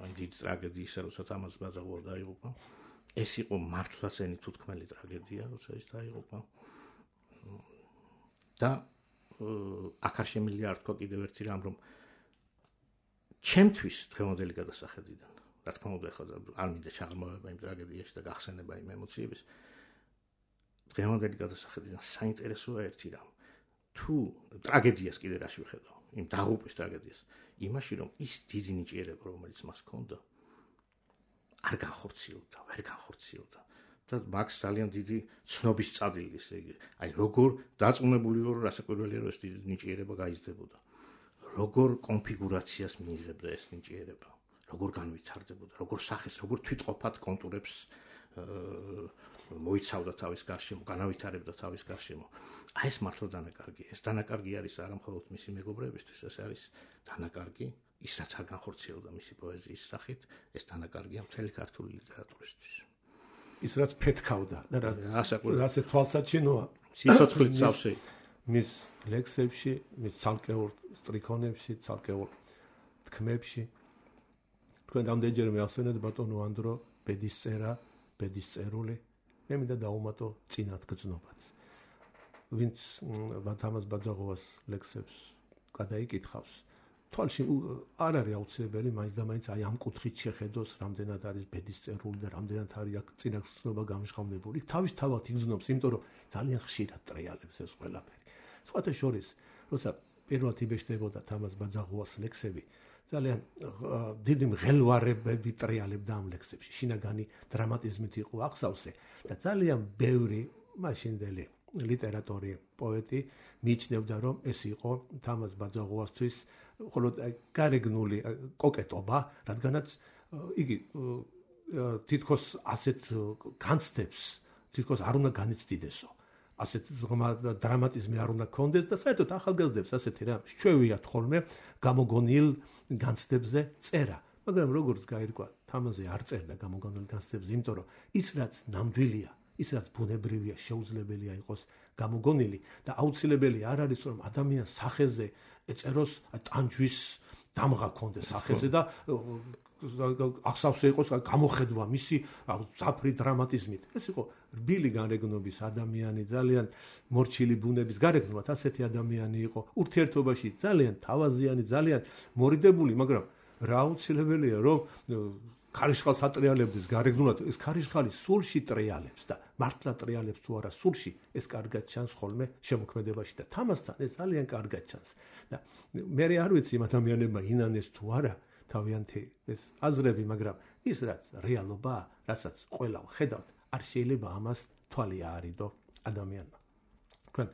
ამ დიდ ტრაგედიისა, როცა თამაზ ბაძაღუა დაიღუპა. ეს იყო მართლაც ეთუთქმელი ტრაგედია, როცა ის დაიღუპა. და აქ არ შემიძლია არ თქვა კიდევ ერთი რამ, რომ ჩემთვის დღევანდელი გადასახედიდან, რა თქმა უნდა, ახლა არ მინდა ჩაღრმავება იმ ტრაგედიაში და გახსენება იმ ემოციების. დღევანდელი გადასახედიდან საინტერესოა ერთი რამ. თუ ტრაგედიას კიდე რაში ვხედავ, იმ დაღუპვის ტრაგედიას, იმაში რომ ის დიდი ნიჭიერება, რომელიც მას ჰქონდა, არ განხორციელდა, ვერ განხორციელდა. და მაგს ძალიან დიდი ცნობის წადი, ესე იგი, აი როგორ დაწუნებული ვარ, რასაკვირველია, რომ ეს დიდი ნიჭიერება გაიზრდებოდა. როგორ კონფიგურაციას მიიღებდა ეს ნიჭიერება, როგორ განვითარდებოდა, როგორ სახეს, როგორ თვითყოფად კონტურებს მოიცავდა თავის გარშემო, განავითარებდა თავის გარშემო. აი ეს მართლა დანაკარგია. ეს დანაკარგი არის არა მხოლოდ მისი მეგობრებისთვის, ეს არის დანაკარგი ის რაც არ განხორციელდა მისი პოეზიის სახით, ეს დანაკარგია მთელი ქართული ლიტერატურისთვის. ის რაც ფეთქავდა და ასე თვალსაჩინოა სიცოცხლით სავსე მის ლექსებში, მის ცალკეულ სტრიქონებში, ცალკეულ თქმებში. თქვენ რამდენჯერმე ახსენეთ ბატონო ანდრო ბედის წერა, ბედის წერული, მე მინდა დავუმატო წინათ გრძნობაც. ვინც თამაზ ბაძაღუას ლექსებს გადაიკითხავს, თვალში არ არის აუცილებელი მაინც და მაინც აი ამ კუთხით შეხედოს, რამდენად არის ბედის წერული და რამდენად არის აქ წინათ გრძნობა გამჟღავნებული. თავისთავად იგრძნობს, იმიტომ რომ ძალიან ხშირად ტრიალებს ეს ყველაფერი. სხვათა შორის, როცა პირველად იბეჭდებოდა თამაზ ბაძაღუას ლექსები, ძალიან დიდი მღელვარებები ტრიალებდა ამ ლექსებში. შინაგანი დრამატიზმით იყო აღსავსე და ძალიან ბევრი მაშინდელი ლიტერატორი, პოეტი მიიჩნევდა, რომ ეს იყო თამაზ ბაძაღუასთვის მხოლოდ გარეგნული კოკეტობა, რადგანაც იგი თითქოს ასეთ განცდებს თითქოს არ უნდა განიცდიდესო. ასეთ ღრმა დრამატიზმი არ უნდა კონდეს და საერთოდ ახალგაზრდებს ასეთი რა შეუიათ ხოლმე გამოგონილ განცდებზე წერა. მაგრამ როგორც გაირკვა, თამაზე არ წერდა გამოგონილ განცდებზე, იმიტომ რომ ის რაც ნამდვილია, ის რაც ბუნებრივია, შეუძლებელია იყოს გამოგონილი და აუცილებელი არ არის რომ ადამიანს სახეზე ეწეროს ტანჯვის დამღა კონდეს სახეზე და ახსავსე იყოს გამოხედვა მისი ზაფრი დრამატიზმით. ეს იყო რბილი გარეგნობის ადამიანი, ძალიან მორჩილი ბუნების გარეგნულად ასეთი ადამიანი იყო, ურთიერთობაში ძალიან თავაზიანი, ძალიან მორიდებული, მაგრამ რა აუცილებელია რომ ქარიშხალს ატრიალებდეს გარეგნულად, ეს ქარიშხალი სულში ტრიალებს და მართლა ტრიალებს თუ არა სულში, ეს კარგად ჩანს ხოლმე შემოქმედებაში და თამასთან ეს ძალიან კარგად ჩანს. და მე არ ვიცი იმ ადამიანებმა ინანეს თუ არა თავიანთი ეს აზრები, მაგრამ ის რაც რეალობაა, რასაც ყველა ხედავთ, არ შეიძლება ამას თვალი აარიდო ადამიანმა. თქვენ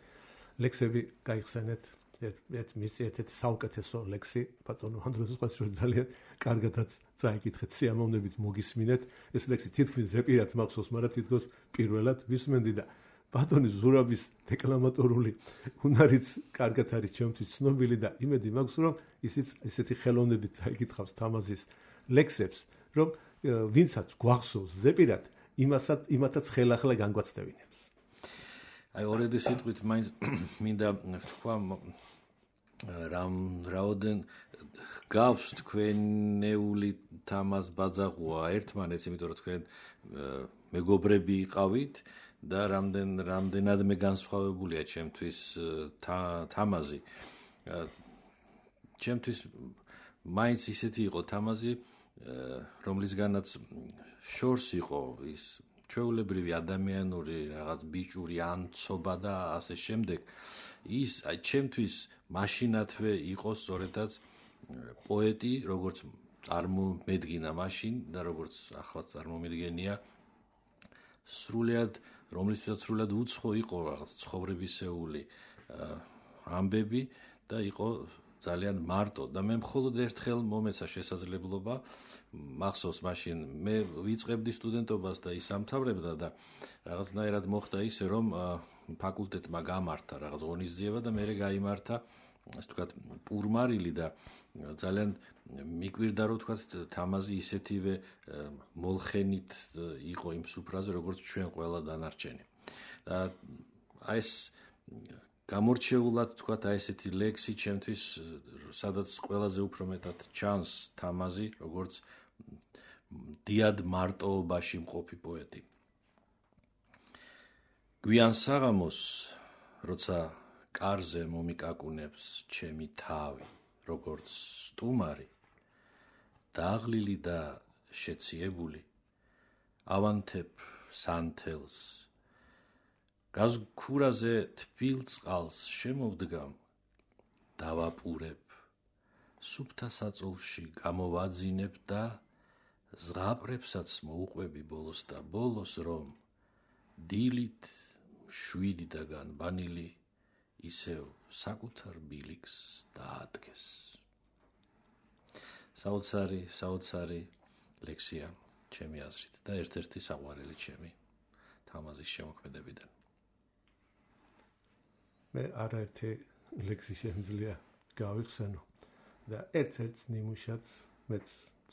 ლექსები გაიხსენეთ, ერთ საუკეთესო ლექსი ბატონო ანდროს ყაცრო ძალიან კარგადაც წაიკითხეთ, სიამოვნებით მოგისმინეთ. ეს ლექსი თითქმის ზეპირად მახსოვს, მაგრამ თითქოს პირველად ვისმენდი და ბატონის ზურაბის დეკლამატორული უნარიც კარგად არის ჩემთვის ცნობილი და იმედი მაქვს, რომ ისიც ესეთი ხელოვნებით წაიკითხავს თამაზის ლექსებს, რომ ვინცაც გვახსოვს ზეპირად, იმათაც ხელახლა განგვაცდევინებს. აი ორედი სიტყვით მაინც მინდა ვთქვა რაოდენ გავს თქვენეული თამაზ ბაძაღუა ერთმანეთს, იმიტომ რომ თქვენ მეგობრები იყავით და რამდენადმე განსხვავებულია ჩემთვის თამაზი. ჩემთვის მაინც ისეთი იყო თამაზი, რომლისგანაც შორს იყო ის ჩვეულებრივი ადამიანური რაღაც ბიჭური ანცობა და ასე შემდეგ. ის ჩემთვის მაშინათვე იყო სწორედაც პოეტი, როგორც წარმომედგინა მაშინ და როგორც ახლაც წარმომედგენია, რომლისთვისაც სრულად უცხო იყო რაღაც ცხოვრებისეული ამბები და იყო ძალიან მარტო და მე მხოლოდ ერთხელ მომეცა შესაძლებლობა მახსოვს მაშინ მე ვიწყებდი სტუდენტობას და ის ამთავრებდა და რაღაცნაირად მოხდა ისე რომ ფაკულტეტმა გამართა რაღაც ღონისძიება და მერე გაიმართა ასე ვთქვათ პურმარილი და ძალიან მიკვირდა რომ ვთქვათ თამაზი ისეთივე მოლხენით იყო იმ სუფრაზე როგორც ჩვენ ყველა დანარჩენი და აი ეს გამორჩეულად თქვათ აი ესეთი ლექსი ჩემთვის სადაც ყველაზე უფრო მეტად ჩანს თამაზი როგორც დიად მარტოობაში მყოფი პოეტი. გვიან საღამოს როცა კარზე მომიკაკუნებს ჩემი თავი როგორც სტუმარი დაღლილი და შეციებული ავანთებ სანთელს გაზქურაზე თბილ წყალს შემოვდგამ დავაპურებ სუფთა საწოლში გამოვაძინებ და ზღაპრებსაც მოუყვები ბოლოს და ბოლოს რომ დილით შვიდიდან ბანილი ისევ საკუთარ ბილიქს დაადგეს. საოცარი ლექსია ჩემი აზრით და ერთ-ერთი საყვარელი ჩემი თამაზის შემოქმედებიდან. მე არაერთი ლექსი შემიძლია გავიხსენო და ერთ-ერთ ნიმუშად მეც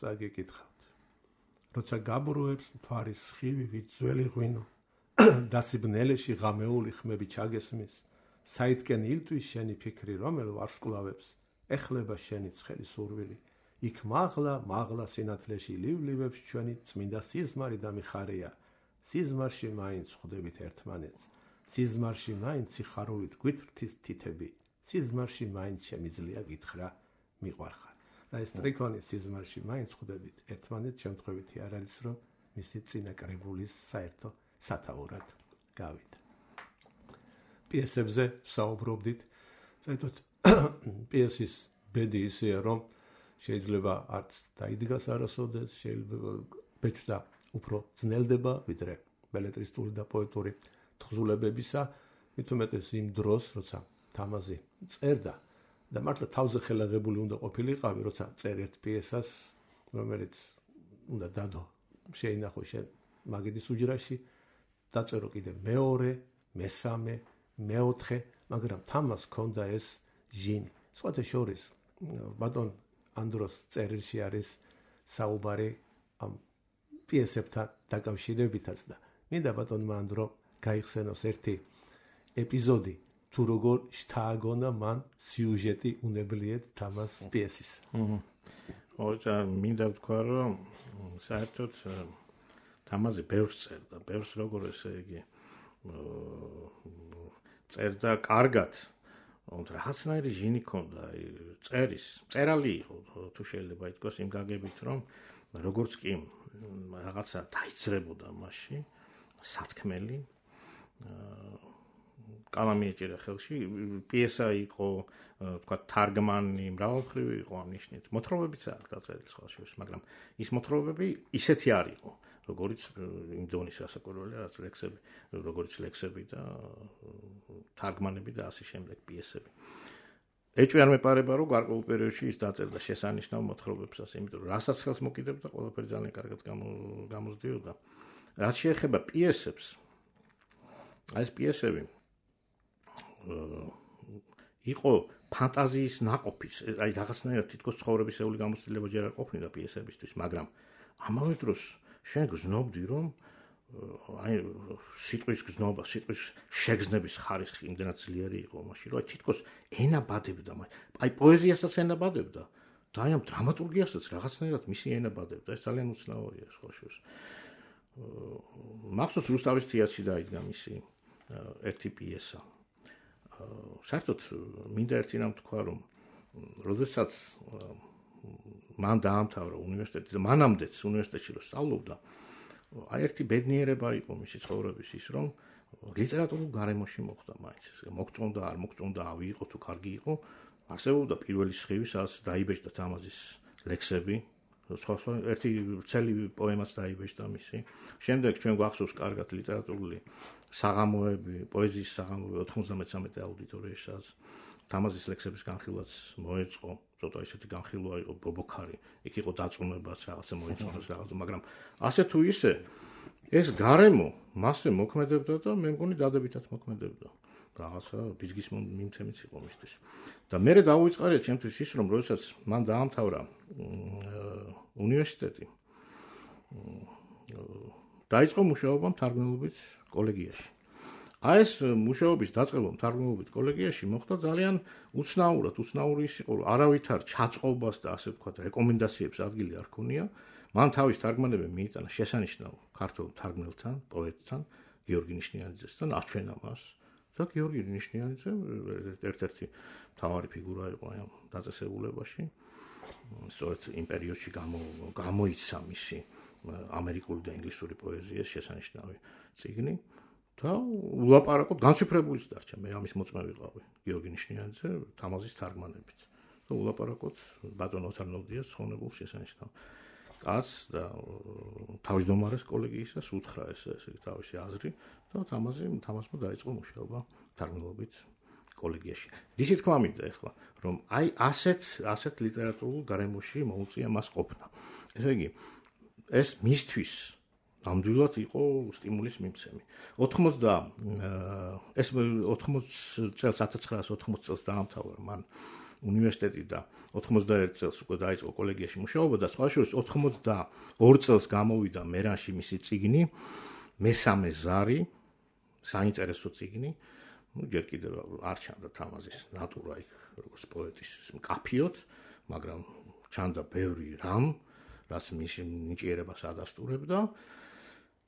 წაგიკითხავთ. როცა გაბრუებს მთვარის სხივი ვიძველი ღვინო დასიბნელეში ღამეული ხმები ჩაგესმის საითკენ ილთვის შენი ფიქრი რომელ ვარსკვლავებს ეხლება შენი ცხელი სურვილი იქ მაღლა სინათლეში ლივლივებს ჩვენი წმინდა სიზმარი და მიხარია სიზმარში მაინც ხვდებით ერთმანეთს სიზმარში მაინც სიხარულით გვითრთის თითები სიზმარში მაინც შემიძლია გითხრა მიყვარხარ და ეს ტრიქონი სიზმარში მაინც ხვდებით ერთმანეთს შემთხვევითი არ არის რომ მისი წინა კრებულის საერთო სათაურად გავიდა. პიესებზე საუბრობდით, საერთოდ პიესის ბედი ისეა, რომ შეიძლება არც დაიდგას არასოდეს, შეიძლება ბეჭდა უფრო ძნელდება, ვიდრე ბელეტრისტული და პოეტური თხზულებებისა, მით უმეტეს იმ დროს, როცა თამაზი წერდა და მართლა თავზე ხელაღებული უნდა ყოფილიყავი, როცა წერ ერთ პიესას, რომელიც უნდა დადო შეინახო შენ მაგიდის უჯრაში, დაწერო კიდე მეორე, მესამე, მეოთხე, მაგრამ თამას ჰქონდა ეს ჟინი. სხვათა შორის ბატონ ანდროს წერილში არის საუბარი ამ პიესებთან დაკავშირებითაც და მინდა ბატონმა ანდრო გაიხსენოს ერთი ეპიზოდი თუ როგორ შთააგონა მან სიუჟეტი უნებლიეთ თამას პიესის. ოღონდ მინდა ვთქვა რომ საერთოდ თამაზი ბევრს წერდა, ბევრს როგორ ესე იგი წერდა კარგად, თუმცა რაღაცნაირი ჟინი ჰქონდა, წერალი იყო, თუ შეიძლება ითქვას იმ გაგებით, რომ როგორც კი რაღაცა დაიძრებოდა მასში, სათქმელი, კალამი ეჭირა ხელში, პიესა იყო, თქვა თარგმანი, მრავალმხრივი იყო ამ ნიშნით. მოთხრობებიც აქვს დაწერილი სხვა შორის, მაგრამ ის მოთხრობები ისეთი არ იყო. როგორც იმ დონის გასაკვირველია, რაც ლექსები, როგორც ლექსები და თარგმანები და ასე შემდეგ პიესები. ეჭვი არ მეპარება, რომ გარკვეულ პერიოდში ის დაწერდა შესანიშნავ მოთხრობებსაც, იმიტომ რომ რასაც ხელს მოკიდებდა, ყველაფერი ძალიან კარგად გამოსდიოდა. რაც შეეხება პიესებს, ეს პიესები იყო ფანტაზიის ნაყოფის, აი რაღაცნაირად თითქოს ცხოვრებისეული გამოცდილება ჯერ არ ყოფნიდა პიესებისთვის, მაგრამ ამავე დროს შენ გზნობდი, რომ აი სიტყვის გზნობა, სიტყვის შეგზნების ხარისხი იმდენად ძლიერი იყო მაშინ, რომ თითქოს ენა ბადებდა, აი პოეზიასაც ენა ბადებდა და აი ამ დრამატურგიასაც რაღაცნაირად მისი ენა ბადებდა. ეს ძალიან უცნაურია სხვა შორის. მახსოვს რუსთავის თეატრში დაიდგა მისი ერთი პიესა. საერთოდ მინდა ერთი რამ თქვა, რომ როდესაც მან დაამთავრა უნივერსიტეტი და მანამდეც უნივერსიტეტში რო სწავლობდა, აი ერთი ბედნიერება იყო მისი ცხოვრების ის, რომ ლიტერატურულ გარემოში მოხდა მაინც. მოგწონდა, არ მოგწონდა, ავიღო თუ კარგი იყო, არსებობდა პირველი სხივი, სადაც დაიბეჭდა თამაზის ლექსები, სხვა ერთი წელი პოემაც დაიბეჭდა მისი. შემდეგ ჩვენ გვახსოვს კარგად ლიტერატურული საღამოები, პოეზიის საღამოები 93 აუდიტორიაში, სადაც თამაზის ლექსების განხილვაც მოეწყო, ცოტა ისეთი განხილვა იყო ბობოქარი, იქ იყო დაწუნებაც რაღაცა მოეწყონეს რაღაცა, მაგრამ ასე თუ ისე ეს გარემო მასზე მოქმედებდა და მე მგონი დადებითად მოქმედებდა. რაღაცა ბიზგის მიმცემიც იყო მისთვის. და მე დავუწყარია ჩემთვის ის, რომ როდესაც მან დაამთავრა უნივერსიტეტი, დაიწყო მუშაობა მთარგმნელობით კოლეგიაში. აი ეს მუშაობის დაწყება მთარგმნელობით კოლეგიაში მოხდა ძალიან უცნაურად, უცნაური ის იყო, რომ არავითარ ჩაწყობას და ასე ვთქვათ, რეკომენდაციებს ადგილი არ ქონია. მან თავის თარგმანები მიიტანა შესანიშნავ ქართულ თარგმნელთან, პოეტთან, გიორგი ნიშნიანიძესთან, აჩვენა მას. და გიორგი ნიშნიანიძე ერთ-ერთი მთავარი ფიგურა იყო ამ დაწესებულებაში. სწორედ იმ პერიოდში გამოიცა მისი ამერიკული და ინგლისური პოეზიის შესანიშნავი წიგნი და ულაპარაკოდ განციფრებულიც დარჩა. მე ამის მოწმე ვიყავი გიორგი ნიშნიანიძე თამაზის თარგმანებით. და ულაპარაკოდ ბატონ ოთარ ნოვდიას ხონებულ შესანიშნავ კაცს და თავმჯდომარეს კოლეგიისას უთხრა ესე თავისი აზრი და თამაზმა დაიწყო მუშაობა თარგმნელობით კოლეგიაში. ისი თქვა მინდა ახლა, რომ აი ასეთ ლიტერატურულ გარემოში მოუწია მას ყოფნა. ესე იგი, ეს მისთვის ნამდვილად იყო სტიმულის მიმცემი. 1980 წელს დაამთავრა მან უნივერსიტეტი და 91 წელს უკვე დაიწყო კოლეგიაში მუშაობა და სხვა შორის 92 წელს გამოვიდა მერანში მისი წიგნი მესამე ზარი, საინტერესო წიგნი. ჯერ კიდევ არ ჩანდა თამაზის ნატურა იქ როგორც პოეტის მკაფიოდ, მაგრამ ჩანდა ბევრი რამ, რაც მის ნიჭიერებას ადასტურებდა.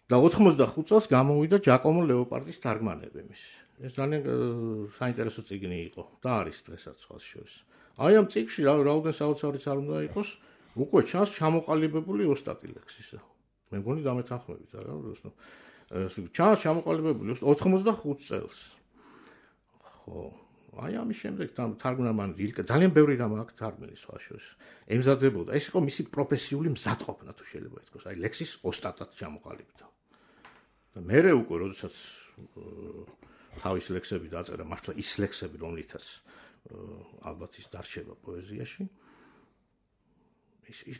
და 85 წელს გამოვიდა ჯაკომო ლეოპარდის თარგმანები მის. ეს ძალიან საინტერესო წიგნი იყო და არის დღესაც სხვა შორის. აი ამ წიგნში რაოდენ საოცარიც არ უნდა იყოს, უკვე ჩანს ჩამოყალიბებული ოსტატი ლექსისა. მე მგონი დამეთანხმებით, არა? ჩანს ჩამოყალიბებული 85 წელს. ხო, აი ამის შემდეგ თარგმნა მან ილკა ძალიან ბევრი რამ აქვს თარგმნილი სხვა შორის. ემზადებოდა, ეს იყო მისი პროფესიული მზადყოფნა თუ შეიძლება ითქვას, აი ლექსის ოსტატად ჩამოყალიბდა. და მერე უკვე როდესაც თავის ლექსები დაწერა, მართლა ის ლექსები, რომლითაც ალბათ ის დარჩება პოეზიაში.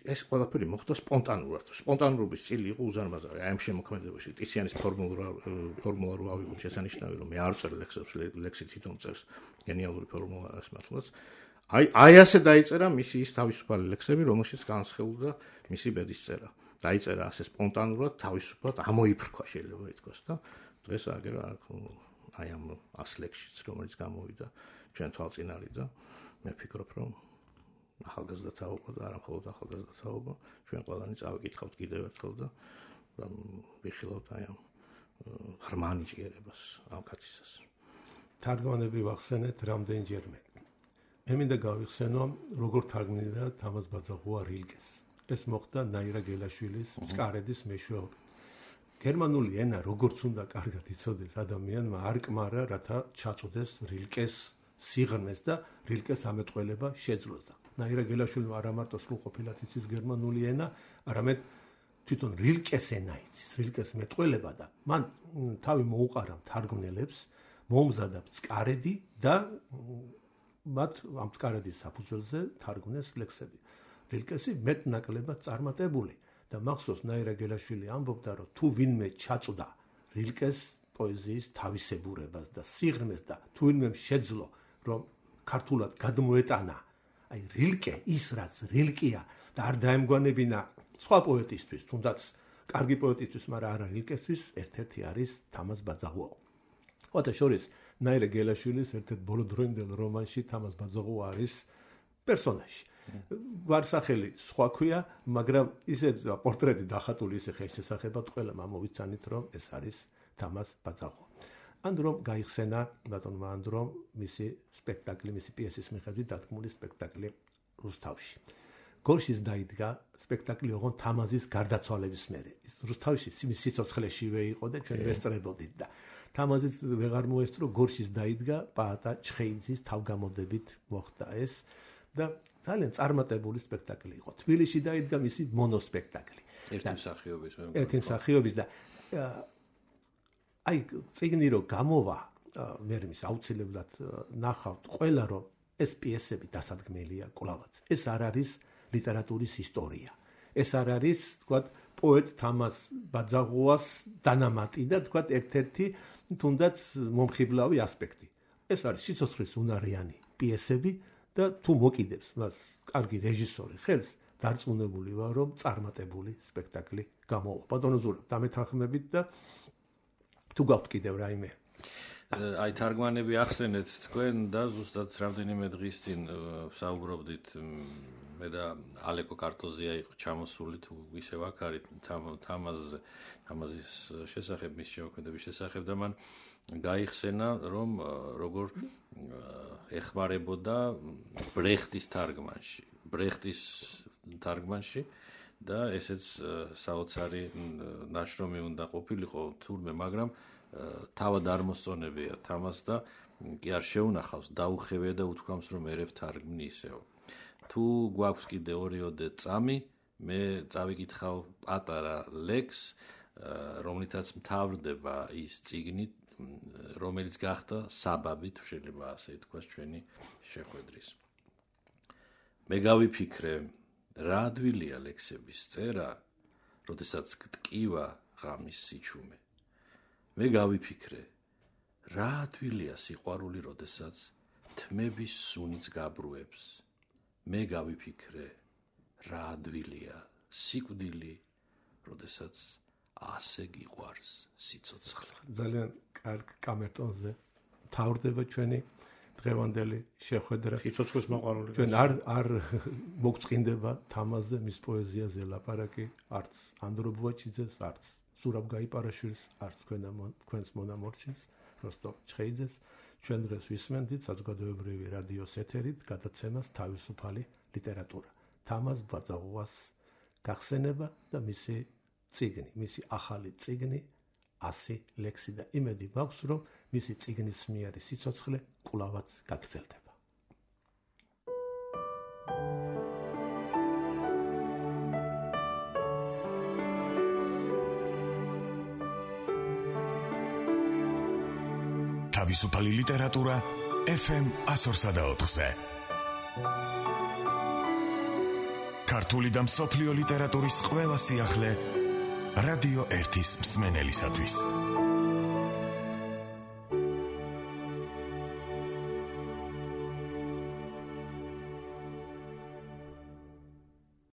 ეს ყველაფერი მოხდა სპონტანურად. სპონტანურობის წილი იყო უზარმაზარი. აი ამ შემოქმედებაში ტიციანის ფორმულა რო ავიღოთ შესანიშნავი, რომ მე არ წერ ლექსებს, ლექსი თვითონ წერს გენიალური ფორმულა არის მართლაც. აი ასე დაიწერა მისი ის თავისუფალი ლექსები, რომელშიც განსხილდა მისი ბედისწერა. დაიწერა ასე სპონტანურად, თავისუფლად ამოიფრქვა შეიძლება ითქვას და დღეს აგერ აი ამ 100 ლექსშიც, რომელიც გამოვიდა ჩვენ თვალწინარი და მე ვფიქრობ, რომ ახალგაზრდა თაობა და არა მხოლოდ ახალგაზრდა თაობა, ჩვენ ყველანი წავიკითხავთ კიდევ ერთხელ და ვიხილავთ აი ამ ღრმა ნიჭიერებას ამ კაცისას. თარგმანები ვახსენეთ რამდენჯერმე. მე მინდა გავიხსენო, როგორ თარგმნიდა თამაზ ბაძაღუა რილკეს. ეს მოხდა ნაირა გელაშვილის მწყარედის მეშვეობით. გერმანული ენა როგორც უნდა კარგად იცოდეს ადამიანმა არ კმარა, რათა ჩაწვდეს რილკეს სიღრმეს და რილკეს ამეტყველება შეძლოს და ნაირა გელაშვილმა არა მარტო სრულყოფილად იცის გერმანული ენა, არამედ თვითონ რილკეს ენა იცის, რილკეს მეტყველება და მან თავი მოუყარა მთარგმნელებს, მომზადა მწყარედი და მათ ამ მწყარედის საფუძველზე თარგმნეს ლექსები. რილკესი მეტნაკლებად წარმატებული და მახსოვს ნაირა გელაშვილი ამბობდა, რომ თუ ვინმე ჩაწვდა რილკეს პოეზიის თავისებურებას და სიღრმეს და თუ ვინმე შეძლო, რომ ქართულად გადმოეტანა აი რილკე ის რაც რილკია და არ დაემგვანებინა სხვა პოეტისთვის, თუნდაც კარგი პოეტისთვის, მაგრამ არა რილკესთვის, ერთ-ერთი არის თამაზ ბაძაღუა. ოღონდ შორის ნაირა გელაშვილის ერთ-ერთ ბოლოდროინდელ რომანში თამაზ ბაძაღუა არის პერსონაჟი. ვარსახელი სხვა ქვია, მაგრამ ისე პორტრეტი დახატული ისე ხელშესახებად ყველამ ამოვიცანით, რომ ეს არის თამაზ ბაძაღვა. Androm გაიხსენა ბატონმა Androm მისი სპექტაკლი, მისი პიესის მიხედვით დადგმული სპექტაკლი რუსთავში. გორშის დაიდგა სპექტაკლი ოღონ თამაზის გარდაცვალების მერე. რუსთავში მის სიცოცხლეშივე იყო და ჩვენ ვესწრებოდით და თამაზის ვეღარ მოესწრო, გორშის დაიდგა პაატა ჩხეიძის თავგამოდებით მოხდა ეს და ძალიან წარმატებული სპექტაკლი იყო. თბილისში დაიდგა მისი მონოსპექტაკლი. ერთი მსახიობის და აი წიგნი რო გამოვა, მე მის აუცილებლად ნახავთ ყველა რომ ეს პიესები დასადგმელია კვლავაც. ეს არ არის ლიტერატურის ისტორია. ეს არ არის, თქვათ, პოეტ თამაზ ბაძაღუას დანამატი და თქვათ ერთ-ერთი თუნდაც მომხიბლავი ასპექტი. ეს არის სიცოცხლის უნარიანი პიესები და თუ მოკიდებს მას კარგი რეჟისორი ხელს, დარწმუნებული ვარ, რომ წარმატებული სპექტაკლი გამოვა. ბატონო ზურაბ, დამეთანხმებით და თუ გაქვთ კიდევ რაიმე? აი თარგმანები ახსენეთ თქვენ და ზუსტად რამდენიმე დღის წინ საუბრობდით მე და ალეკო კარტოზია იყო ჩამოსული თუ ისევ აქ არის თამაზის შესახებ, მის შემოქმედების შესახებ და მან გაიხსენა რომ როგორ ეხმარებოდა ბრეხტის თარგმანში და ესეც საოცარი ნაშრომი უნდა ყოფილიყო თურმე, მაგრამ თავად არ მოსწონებია თამას და კი არ შეუნახავს, დაუხევია და უთქვამს რომ ერევ თარგმნი ისევ. თუ გვაქვს კიდე 2-3 წამი, მე წავიკითხავ პატარა ლექს, რომლითაც მთავრდება ის წიგნი, რომელიც გახდა საბაბი, თუ შეიძლება ასე ითქვას, ჩვენი შეხვედრის. მე გავიფიქრე, რა ადვილია ლექსების წერა, როდესაც გტკივა ღამის სიჩუმე. მე გავიფიქრე, რა ადვილია სიყვარული, როდესაც თმების სუნიც გაბრუებს. მე გავიფიქრე, რა ადვილია სიკვდილი, როდესაც ასე გიყვარს სიცოცხლე. ძალიან კარგ კამერტონზე თავდება ჩვენი დღევანდელი შეხვედრა. სიცოცხლის მოყვარული. ჩვენ არ მოგწყინდება თამაზზე, მის პოეზიაზე ლაპარაკი, არც ანდრო ბუაჩიძეს, არც ზურაბ გაიპარაშვილს, არც თქვენს მონამორჩენს, როსტომ ჩხეიძეს. ჩვენ დღეს ვისმენთ საზოგადოებრივი რადიოს ეთერით გადაცემას თავისუფალი ლიტერატურა. თამაზ ბაძაღუას გახსენება და მისი წიგნი, მისი ახალი წიგნი 100 ლექსი და იმედი მაქვს, რომ მისი წიგნის მიერი სიცოცხლე კვლავაც გაგრძელდება. თავისუფალი ლიტერატურა FM 104-ზე. ქართული და მსოფლიო ლიტერატურის ყველა სიახლე რადიო 1-ის მსმენელისათვის.